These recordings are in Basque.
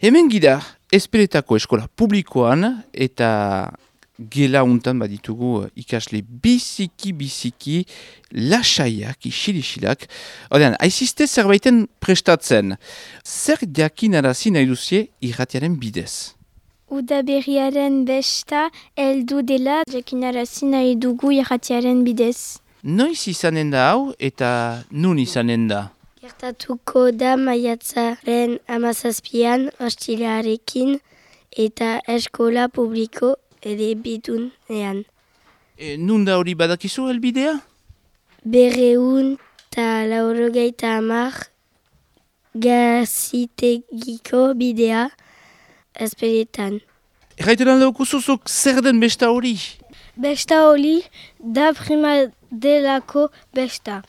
Hemen gira, Ezpeletako eskola publikoan eta gela untan baditugu ikasle biziki lasaiak, isilak. Odean, aizizte zerbaiten prestatzen. Zer jakinarazi nahi duzie irratiaren bidez? Udaberriaren besta heldu dela jakinarazi nahi dugu irratiaren bidez. Noiz izanen da hau eta nun izanen da? Gertatuko da maiatzaren 17an ostilarekin eta eskola publiko ere bidunean. Nun da hori badakizu helbidea? 280 Gazitegiko bidea Ezpeletan. Erraiteran leukuzuzuk zer den besta hori? Besta hori da prima delako besta.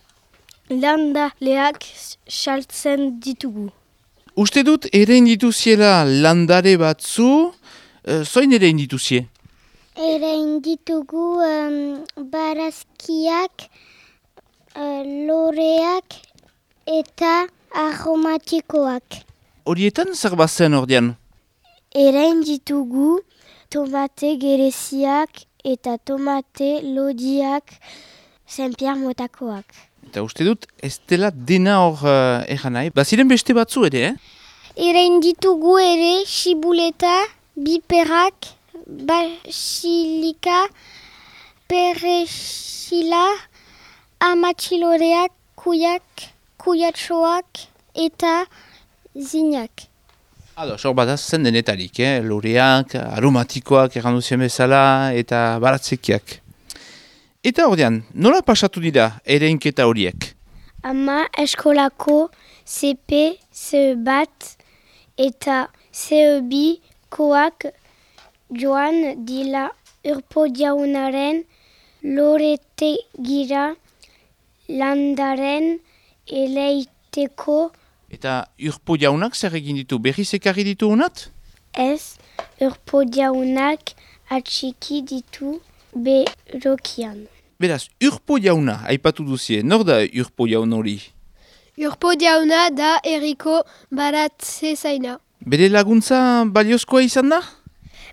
Landaleak saltzen ditugu. Uste dut erein dituziela landare batzu, zoin erein dituzie? Erein ditugu barazkiak, loreak eta aromatikoak. Horietan zer bazen ordean? Erein ditugu tomate gereziak eta tomate lodiak Saint-Pierre motakoak. Eta uste dut ez dela dena hor egan nahi. Baziren beste batzu ere, Erein ditugu ere xibuleta, biperak, basilika, perexila, amatxiloreak, kuyatxoak eta zinak. Hor bat zen denetarik, loreak, aromatikoak egan duzien bezala eta baratzekiak. Eta ordean, nola pasatu dira ereinketa horiek? Ama eskolako CP, CE bat eta CE bi koak joan dila Urpo jaunaren loretegira landaren eleiteko. Eta Urpo jaunak zer egin ditu? Berriz ekarri ditu honat? Ez, Urpo jaunak atxiki ditu berokian. Beraz, Urpo jauna, aipatu duzie, nor da Urpo jaun hori? Urpo jauna da erriko baratze zaina. Bere laguntza baliozkoa izan da?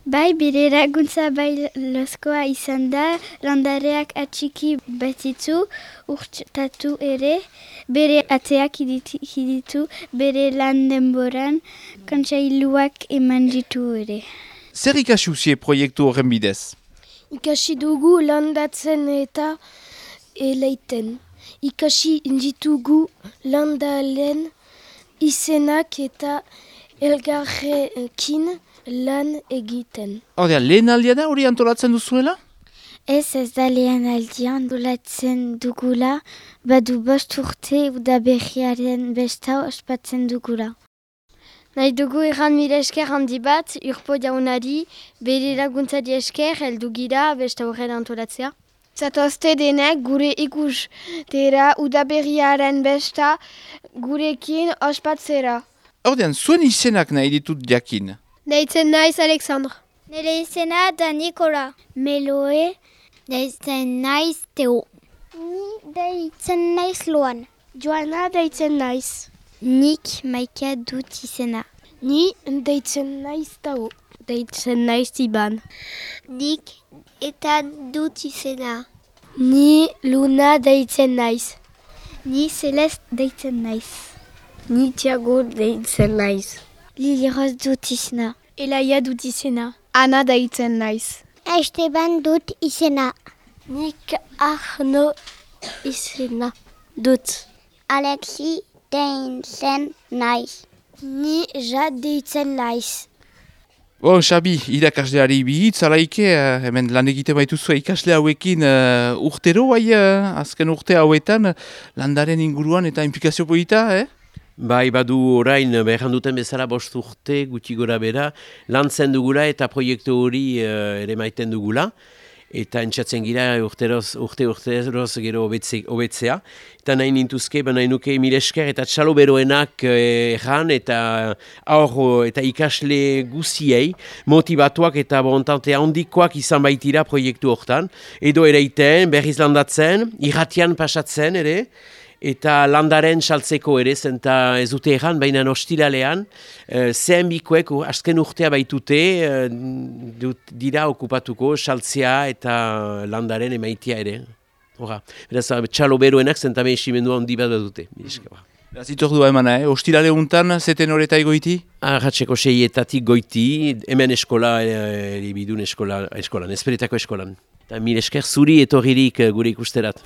Bai, bere laguntza baliozkoa izan da, landareak atxiki batitzu, urtatu ere, bere ateak hiditu, bere lan denboran, kontsailuak eman ditu ere. Zer ikasi uzie proiektu horren bidez? Ikasi dugu landatzen eta eleiten. Ikasi ditugu landalen izenak eta elgarrekin lan egiten. Ordean, lehen aldia da hori antolatzen duzuela? Ez da lehen aldia antolatzen dugula, badu 5 urte udaberriaren besta ospatzen dugula. Nahi dugu erran mila esker handi bat, Urpo jaunari, bere laguntzari esker, heldu gira besta horren antolatzea. Zatozte denek gure ikustera udaberriaren besta gurekin ospatzera. Ordean, zuen izenak nahi ditut jakin? Deitzen naiz Alexandre. Nire izena da Nikola. Meloe. Deitzen naiz Teo. Ni deitzen naiz Loan. Joana deitzen naiz. Nik Maika dut izena. Ni deitzen naiz Tao. Deitzen naiz Iban. Nik eta dut izena. Ni Luna deitzen naiz. Ni Celeste deitzen naiz. Ni Thiago deitzen naiz. Liliros dut izena. Elaia dut izena. Ana deitzen naiz. Esteban dut izena. Nik Arno izena dut. Alexi deitzen naiz. Ni Jad deitzen naiz. Xabi, irakasleari bihitz, alaike, hemen lan egite baituzu ikasle hauekin urtero, azken urte hauetan, landaren inguruan eta implikazio polita, Bai, badu orain, behan duten bezala 5 urte, gutxi gora bera, lantzen dugula eta proiektu hori ere maiten dugula. Eta entzatzen gira urte-urteroz gero hobetzea. Eta nahi nintuzke, nahi nuke mil esker eta txalo beroenak erran eta aur eta ikasle guziei motivatuak eta bontante handikoak izan baitira proiektu hortan. Edo ereiten, berriz landatzen, irratian pasatzen ere, eta landaren saltzeko ere, zenta ez dute erran, baina ostiralean, zehen bikoek azken urtea baitute, dira okupatuko saltzea eta landaren emaitia ere. Hora, beraz, txalo beroenak zentame esimendua handi bat dute. Zitor emana, ostirale untan, zeten horreta egoiti? Arratseko 6etatik goiti, hemen eskola, bidun eskolan, esperetako eskolan. Eta mil esker zuri etorririk gure ikusterat.